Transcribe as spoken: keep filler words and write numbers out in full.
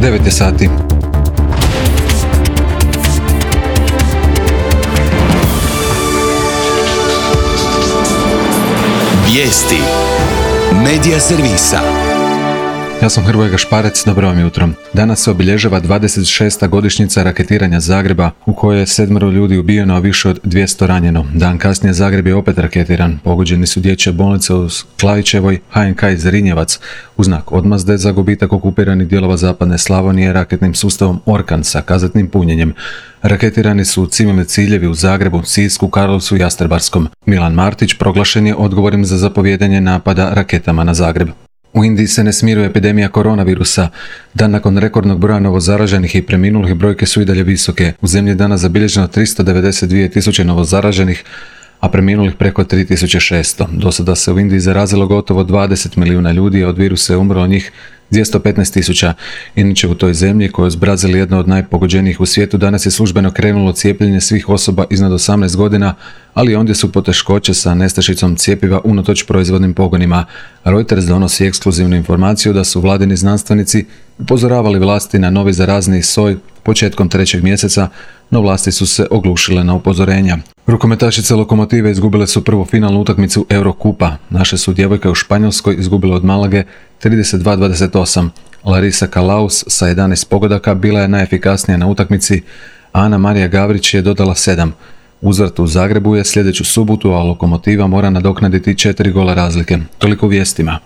devet je sati. Vijesti Medija servisa. Ja sam Hrvoje Gašparec, dobro vam jutro. Danas se obilježava dvadeset šesta godišnjica raketiranja Zagreba, u kojoj je sedmero ljudi ubijeno, a više od dvjesto ranjeno. Dan kasnije Zagreb je opet raketiran. Pogođeni su dječje bolnice u Klavićevoj, H N K iz Zrinjevac, u znak odmazde za gubitak okupiranih dijelova zapadne Slavonije raketnim sustavom Orkan sa kazetnim punjenjem. Raketirani su civilni ciljevi u Zagrebu, Sisku, Karlovcu i Jastrebarskom. Milan Martić proglašen je odgovornim za zapovijedanje napada raketama na Zagreb. U Indiji se ne smiruje epidemija koronavirusa. Dan nakon rekordnog broja novozaraženih i preminulih brojke su i dalje visoke. U zemlji je danas zabilježeno tristo devedeset dvije tisuće novozaraženih, a preminulih preko tri tisuće šesto. Do sada se u Indiji zarazilo gotovo dvadeset milijuna ljudi, a od virusa je umrlo njih dvjesto petnaest tisuća. Inače u toj zemlji, koja je uz Brazil jedna od najpogođenijih u svijetu, danas je službeno krenulo cijepljenje svih osoba iznad osamnaest godina, ali ondje su poteškoće sa nestašicom cjepiva unatoč proizvodnim pogonima. Reuters donosi ekskluzivnu informaciju da su vladini znanstvenici upozoravali vlasti na novi zarazni soj početkom trećeg mjeseca, no vlasti su se oglušile na upozorenja. Rukometašice Lokomotive izgubile su prvu finalnu utakmicu Eurokupa. Naše su djevojke u Španjolskoj izgubile od Malage trideset dva dvadeset osam. Larisa Kalaus sa jedanaest pogodaka bila je najefikasnija na utakmici, a Ana Marija Gavrić je dodala sedam. Uzvrat u Zagrebu je sljedeću subotu, a Lokomotiva mora nadoknaditi četiri gola razlike. Toliko u vijestima.